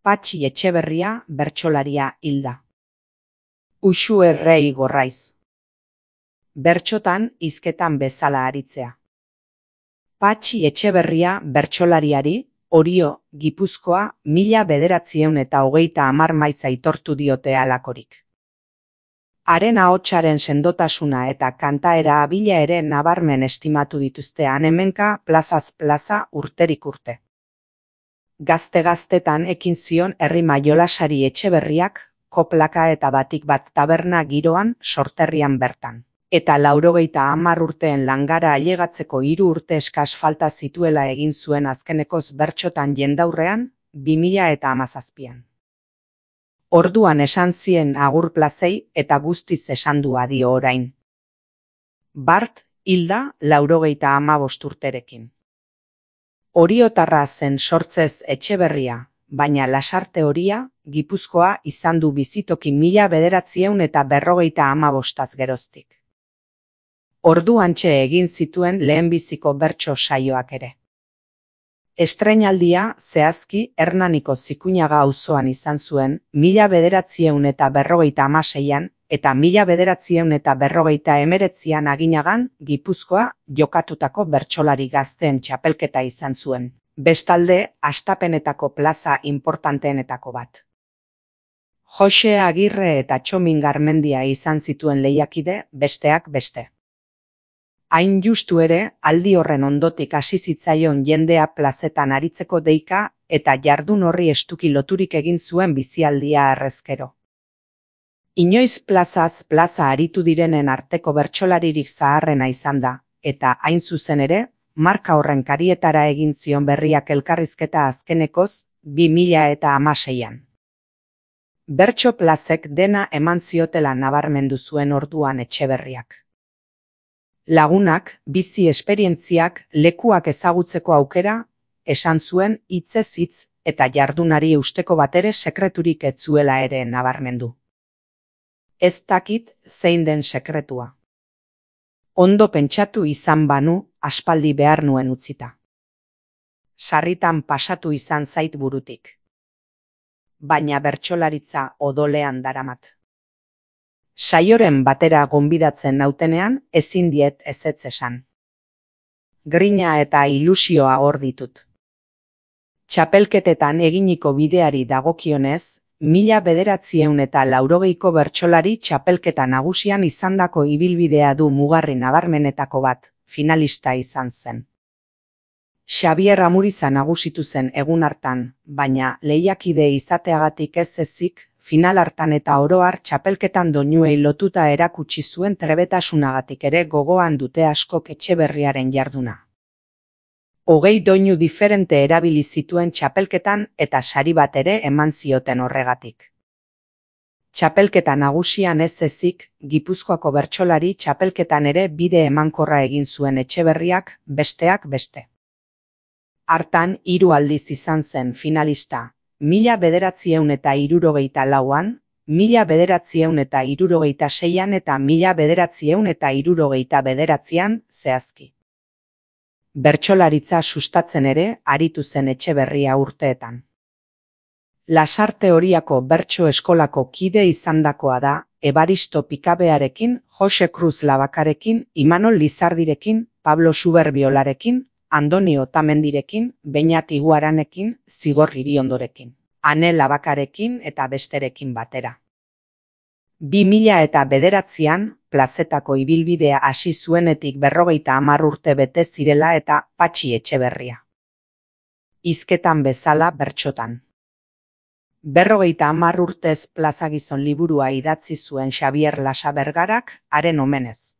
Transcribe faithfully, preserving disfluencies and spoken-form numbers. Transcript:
Patxi Etxeberria bertsolaria hilda. Uxue Rei Gorraiz. Bertxotan hizketan bezala aritzea. Patxi Etxeberria bertsolariari, Orio, Gipuzkoa, mila bederatziehun eta hogeita hamar maiz aitortu diote halakorik. Haren ahotsaren sendotasuna eta kantaera abila ere nabarmen estimatu dituzte han-hemenka plazaz plaza urterik urte. Gazte-gaztetan ekin zion errima jolasari Etxeberriak, koplaka eta batik bat taberna giroan sorterrian bertan. Eta laurogeita hamar urteen langara ailegatzeko hiru urte eskas falta zituela egin zuen azkenekoz bertxotan jendaurrean, bi mila eta hamazazpian. Orduan esan zien agur plazei eta guztiz esan du adio orain. Bart hilda laurogeita hamabost urterekin. Oriotarra zen sortzez Etxeberria, baina Lasarte Horia, Gipuzkoa izan du bizitoki mila bederatziehun eta berrogeita hamabostaz geroztik. Orduantxe egin zituen lehenbiziko bertso saioak ere. Estreinaldia zehazki Hernaniko Zikuñaga auzoan izan zuen mila bederatziehun eta berrogeita hamaseian eta mila bederatziehun eta berrogeita hemeretzian Aginagan Gipuzkoa jokatutako bertsolari gazteen txapelketa izan zuen. Bestalde, hastapenetako plaza inportanteenetako bat. Jose Agirre eta Txomin Garmendia izan zituen lehiakide, besteak beste. Hain justu ere, aldi horren ondotik hasi zitzaion jendea plazetan aritzeko deika eta jardun horri estuki loturik egin zuen bizialdia harrezkero. Inoiz plazaz plaza aritu direnen arteko bertsolaririk zaharrena izan da, eta hain zuzen ere, marka horren karietara egin zion berriak elkarrizketa azkenekoz, bi mila eta hamaseian. Bertso plazek dena eman ziotela nabarmendu zuen orduan Etxeberriak. Lagunak, bizi esperientziak, lekuak ezagutzeko aukera, esan zuen hitzez hitz eta jardunari eusteko batere sekreturik ez zuela ere nabarmendu. Ez dakit zein den sekretua. Ondo pentsatu izan banu, aspaldi behar nuen utzita. Sarritan pasatu izan zait burutik. Baina bertsolaritza odolean daramat. Saioren batera gonbidatzen nautenean ezin diet ezetz esan. Grina eta ilusioa hor ditut. Txapelketetan eginiko bideari dagokionez, mila bederatziehun eta laurogeiko bertsolari txapelketa nagusian izandako ibilbidea du mugarri nabarmenetako bat, finalista izan zen. Xabier Amuriza nagusitu zen egun hartan, baina lehiakide izateagatik ez ezik, final hartan eta oroar txapelketan doinuei lotuta erakutsi zuen trebetasunagatik ere gogoan dute askok Etxeberriaren jarduna. Hogei doinu diferente erabili zituen txapelketan eta sari bat ere eman zioten horregatik. Txapelketa nagusian ez ezik, Gipuzkoako bertsolari txapelketan ere bide emankorra egin zuen Etxeberriak, besteak beste. Hartan hiru aldiz izan zen finalista. Mila bederatziehun eta hirurogeita lauan, mila bederatziehun eta hirurogeita seian eta mila bederatziehun eta hirurogeita bederatzian zehazki. Bertsolaritza sustatzen ere aritu zen Etxeberria urteetan. Lasarte Horiako bertso eskolako kide izandakoa da, Ebaristo Pikabearekin, Jose Cruz Labakarekin, Imanol Lizardirekin, Pablo Suberbiolarekin, Andonio Otamendirekin, Beñat Iguaranekin, Zigor Iriondorekin, Ane Labakarekin eta besterekin batera. Bi mila eta bederatzian, plazetako ibilbidea hasi zuenetik berrogeita hamar urte bete zirela eta Patxi Etxeberria. Hizketan bezala bertsotan. Berrogeita hamar urtez plazagizon liburua idatzi zuen Xabier Lasa Bergarak, haren omenez.